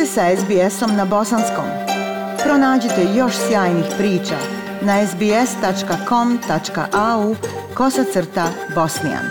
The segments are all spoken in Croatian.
ste sa SBS-om na bosanskom. Pronađite još sjajnih priča na sbs.com.au/bosnijan.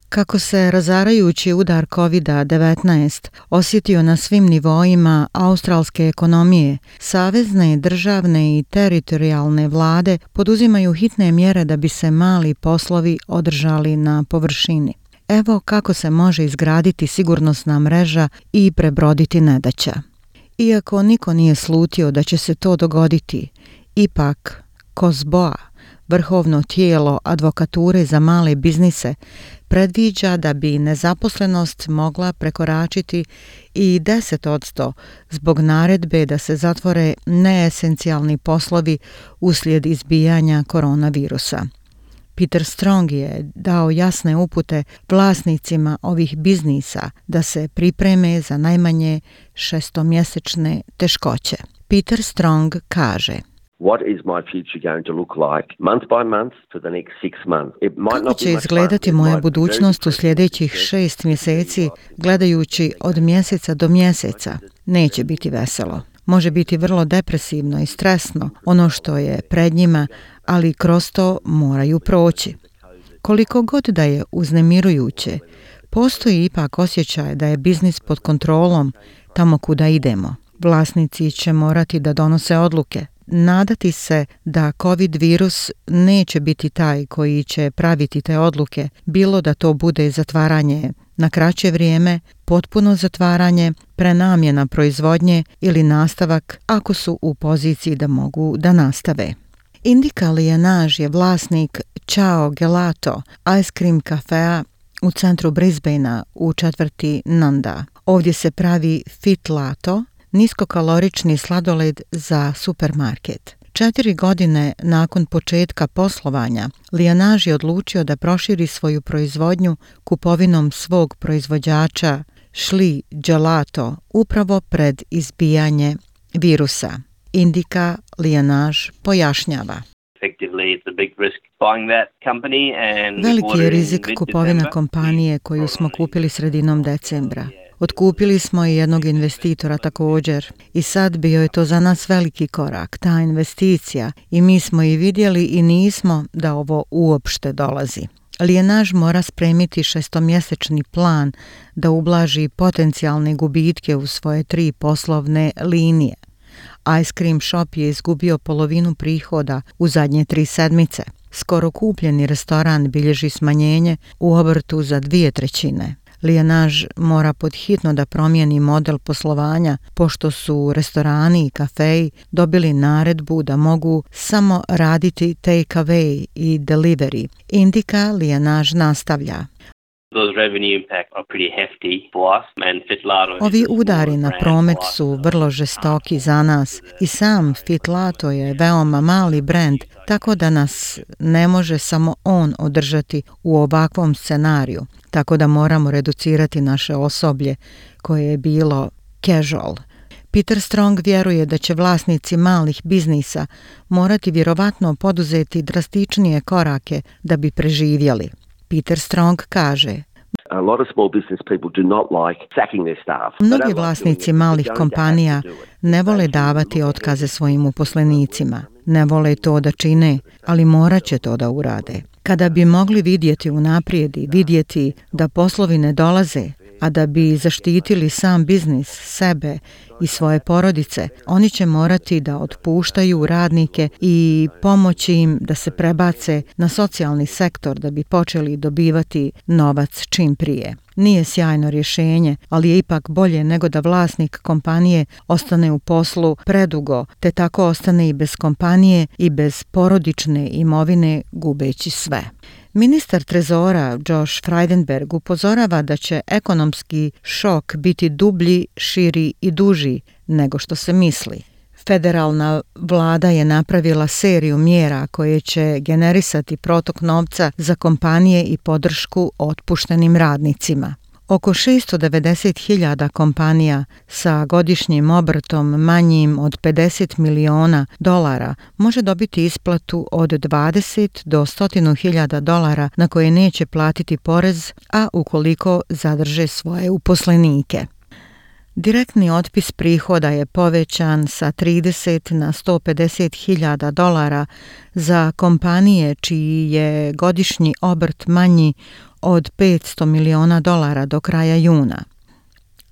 Kako se razarajući udar COVID-19 osjetio na svim nivoima australske ekonomije, savezne, državne i teritorijalne vlade poduzimaju hitne mjere da bi se mali poslovi održali na površini. Evo kako se može izgraditi sigurnosna mreža i prebroditi nedaća. Iako niko nije slutio da će se to dogoditi, ipak COSBOA, vrhovno tijelo advokature za male biznise, predviđa da bi nezaposlenost mogla prekoračiti i 10% zbog naredbe da se zatvore neesencijalni poslovi uslijed izbijanja koronavirusa. Peter Strong je dao jasne upute vlasnicima ovih biznisa da se pripreme za najmanje 6-mjesečne teškoće. Peter Strong kaže: What is my future going to look like month by month for the next 6 months? It might Kako not će be much izgledati fun. It moja might be budućnost u very sljedećih 6 mjeseci, gledajući od mjeseca do mjeseca? Neće biti veselo. Može biti vrlo depresivno i stresno ono što je pred njima, ali kroz to moraju proći. Koliko god da je uznemirujuće, postoji ipak osjećaj da je biznis pod kontrolom tamo kuda idemo. Vlasnici će morati da donose odluke. Nadati se da COVID virus neće biti taj koji će praviti te odluke, bilo da to bude zatvaranje na kraće vrijeme, potpuno zatvaranje, prenamjena proizvodnje ili nastavak ako su u poziciji da mogu da nastave. Indika Lienage je vlasnik Ciao Gelato, ice cream kafea u centru Brisbanea u četvrti Nanda. Ovdje se pravi Fit Lato, niskokalorični sladoled za supermarket. 4 godine nakon početka poslovanja, Lienage je odlučio da proširi svoju proizvodnju kupovinom svog proizvođača Shli Gelato upravo pred izbijanje virusa. Indika Lienage pojašnjava: veliki je rizik kupovina kompanije koju smo kupili sredinom decembra. Otkupili smo i jednog investitora također i sad bio je to za nas veliki korak, ta investicija, i mi smo i vidjeli i nismo da ovo uopšte dolazi. Lienage mora spremiti 6-mjesečni plan da ublaži potencijalne gubitke u svoje 3 poslovne linije. Ice cream shop je izgubio polovinu prihoda u zadnje 3 sedmice. Skoro kupljeni restoran bilježi smanjenje u obrtu za 2/3. Lienage mora podhitno da promijeni model poslovanja pošto su restorani i kafeji dobili naredbu da mogu samo raditi take away i delivery. Indika Lienage nastavlja: ovi udari na promet su vrlo žestoki za nas i sam Fit Lato je veoma mali brend, tako da nas ne može samo on održati u ovakvom scenariju, tako da moramo reducirati naše osoblje koje je bilo casual. Peter Strong vjeruje da će vlasnici malih biznisa morati vjerovatno poduzeti drastičnije korake da bi preživjeli. Peter Strong kaže: mnogi vlasnici malih kompanija ne vole davati otkaze svojim uposlenicima. Ne vole to da čine, ali morat će to da urade. Kada bi mogli vidjeti unaprijed i vidjeti da poslovi ne dolaze, a da bi zaštitili sam biznis, sebe i svoje porodice, oni će morati da otpuštaju radnike i pomoći im da se prebace na socijalni sektor da bi počeli dobivati novac čim prije. Nije sjajno rješenje, ali je ipak bolje nego da vlasnik kompanije ostane u poslu predugo, te tako ostane i bez kompanije i bez porodične imovine, gubeći sve. Ministar trezora Josh Frydenberg upozorava da će ekonomski šok biti dublji, širi i duži nego što se misli. Federalna vlada je napravila seriju mjera koje će generisati protok novca za kompanije i podršku otpuštenim radnicima. Oko 690.000 kompanija sa godišnjim obrtom manjim od $50 miliona može dobiti isplatu od 20 do $100.000 na koje neće platiti porez, a ukoliko zadrže svoje uposlenike. Direktni otpis prihoda je povećan sa 30 na $150.000 za kompanije čiji je godišnji obrt manji od $500 miliona do kraja juna.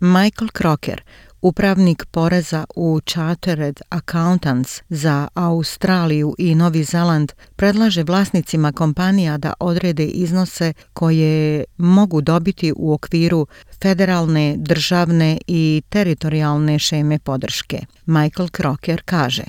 Michael Crocker, upravnik poreza u Chartered Accountants za Australiju i Novi Zeland, predlaže vlasnicima kompanija da odrede iznose koje mogu dobiti u okviru federalne, državne i teritorijalne šeme podrške. Michael Crocker kaže: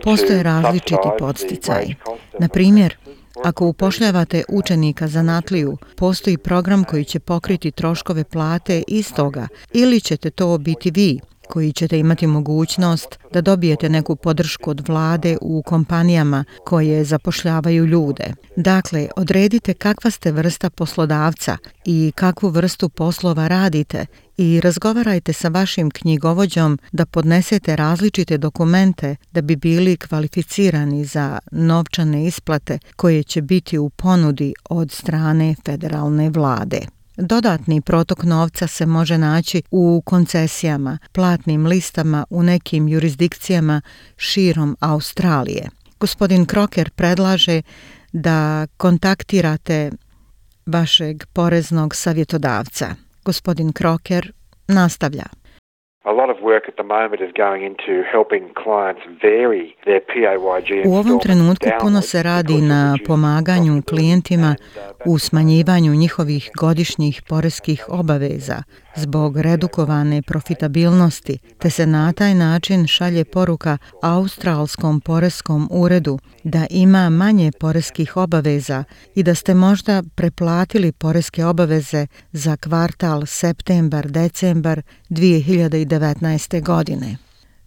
Postoje različiti podsticaji. Na primjer, ako upošljavate učenika zanatliju, postoji program koji će pokriti troškove plate istoga, ili ćete to biti vi, koji ćete imati mogućnost da dobijete neku podršku od vlade u kompanijama koje zapošljavaju ljude. Dakle, odredite kakva ste vrsta poslodavca i kakvu vrstu poslova radite i razgovarajte sa vašim knjigovođom da podnesete različite dokumente da bi bili kvalificirani za novčane isplate koje će biti u ponudi od strane federalne vlade. Dodatni protok novca se može naći u koncesijama, platnim listama u nekim jurisdikcijama širom Australije. Gospodin Crocker predlaže da kontaktirate vašeg poreznog savjetodavca. Gospodin Crocker nastavlja: U ovom trenutku puno se radi na pomaganju klijentima u smanjivanju njihovih godišnjih poreskih obaveza zbog redukovane profitabilnosti, te se na taj način šalje poruka Australskom poreskom uredu da ima manje poreskih obaveza i da ste možda preplatili poreske obaveze za kvartal septembar-decembar 2019. godine.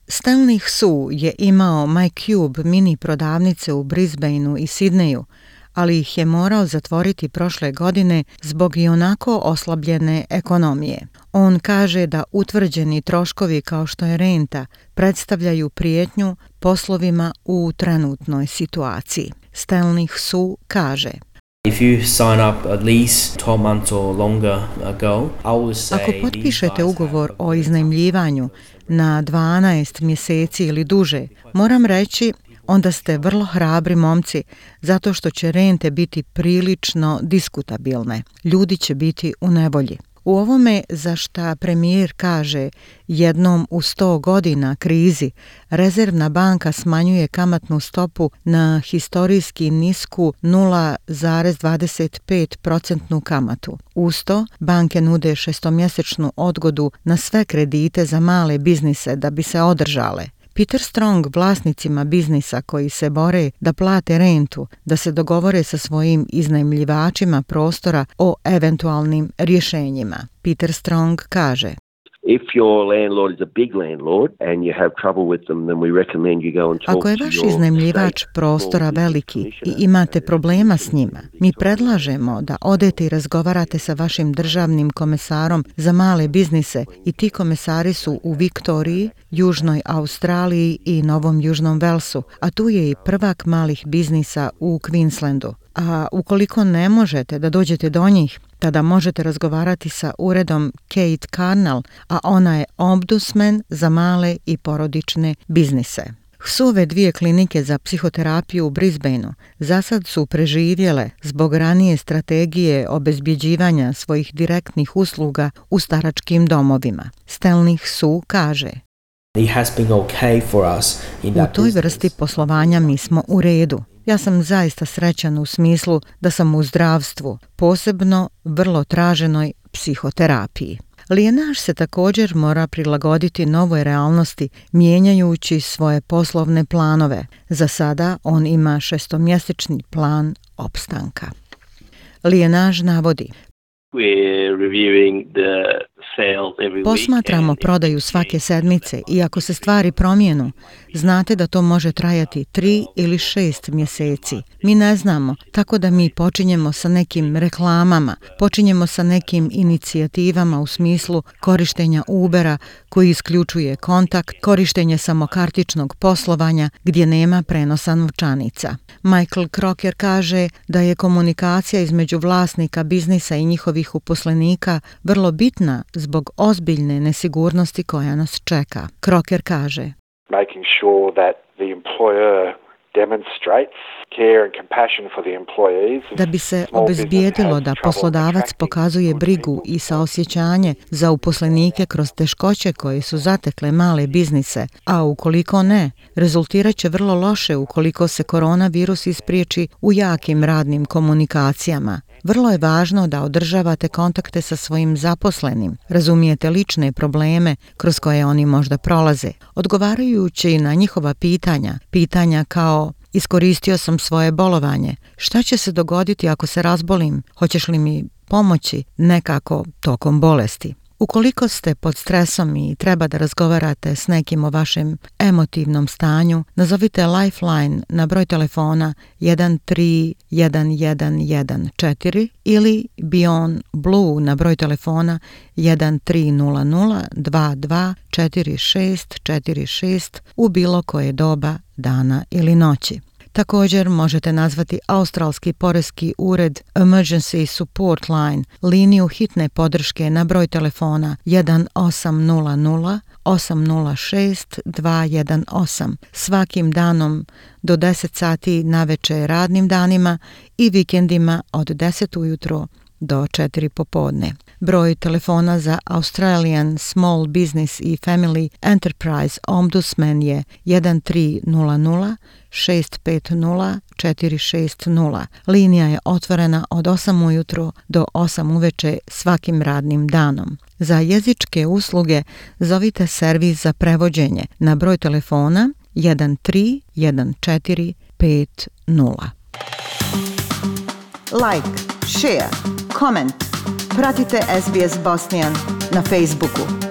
Stanley Su je imao MyCube mini prodavnice u Brisbaneu i Sidneju, ali ih je morao zatvoriti prošle godine zbog ionako oslabljene ekonomije. On kaže da utvrđeni troškovi kao što je renta predstavljaju prijetnju poslovima u trenutnoj situaciji. Stanley Su kaže: Ako potpišete ugovor o iznajmljivanju na 12 mjeseci ili duže, moram reći, onda ste vrlo hrabri momci, zato što će rente biti prilično diskutabilne. Ljudi će biti u nevolji. U ovome za šta premijer kaže jednom u 100 godina krizi, Rezervna banka smanjuje kamatnu stopu na historijski nisku 0,25% kamatu. Uz to, banke nude šestomjesečnu odgodu na sve kredite za male biznise da bi se održale. Peter Strong vlasnicima biznisa koji se bore da plate rentu, da se dogovore sa svojim iznajmljivačima prostora o eventualnim rješenjima. Peter Strong kaže: Ako je vaš iznajmljivač prostora veliki i imate problema s njima, mi predlažemo da odete i razgovarate sa vašim državnim komesarom za male biznise i ti komesari su u Viktoriji, Južnoj Australiji i Novom Južnom Velsu, a tu je i prvak malih biznisa u Queenslandu. A ukoliko ne možete da dođete do njih, tada možete razgovarati sa uredom Kate Carnell, a ona je ombudsman za male i porodične biznise. Suve 2 klinike za psihoterapiju u Brisbaneu za sad su preživjele zbog ranije strategije obezbjeđivanja svojih direktnih usluga u staračkim domovima. Stanley Su kaže: U toj vrsti poslovanja mi smo u redu. Ja sam zaista srećan u smislu da sam u zdravstvu, posebno vrlo traženoj psihoterapiji. Lijenaš se također mora prilagoditi novoj realnosti, mijenjajući svoje poslovne planove. Za sada on ima 6-mjesečni plan opstanka. Lijenaš navodi: Posmatramo prodaju svake sedmice i ako se stvari promijenu, znate da to može trajati 3 ili 6 mjeseci. Mi ne znamo, tako da mi počinjemo sa nekim reklamama, počinjemo sa nekim inicijativama u smislu korištenja Ubera koji isključuje kontakt, korištenje samokartičnog poslovanja gdje nema prenosa novčanica. Michael Crocker kaže da je komunikacija između vlasnika biznisa i njihovih uposlenika vrlo bitna zbog ozbiljne nesigurnosti koja nas čeka. Crocker kaže: Making sure that the employer demonstrates care and compassion for the employees. Da bi se obezbijedilo da poslodavac pokazuje brigu i saosjećanje za uposlenike kroz teškoće koje su zatekle male biznise, a ukoliko ne, rezultirat će vrlo loše ukoliko se koronavirus ispriječi u jakim radnim komunikacijama. Vrlo je važno da održavate kontakte sa svojim zaposlenim, razumijete lične probleme kroz koje oni možda prolaze, odgovarajući na njihova pitanja kao: iskoristio sam svoje bolovanje, šta će se dogoditi ako se razbolim, hoćeš li mi pomoći nekako tokom bolesti. Ukoliko ste pod stresom i treba da razgovarate s nekim o vašem emotivnom stanju, nazovite Lifeline na broj telefona 131114 ili Beyond Blue na broj telefona 1300224646 u bilo koje doba dana ili noći. Također možete nazvati Australski poreski ured Emergency Support Line, liniju hitne podrške na broj telefona 1800 806 218 svakim danom do 10 sati navečer radnim danima i vikendima od 10 ujutro do 4 popodne. Broj telefona za Australian Small Business i Family Enterprise Ombudsman je 1300 650 460. Linija je otvorena od 8 ujutro do 8 uveče svakim radnim danom. Za jezičke usluge zovite servis za prevođenje na broj telefona 131450. Like, share, comment. Pratite SBS Bosnian na Facebooku.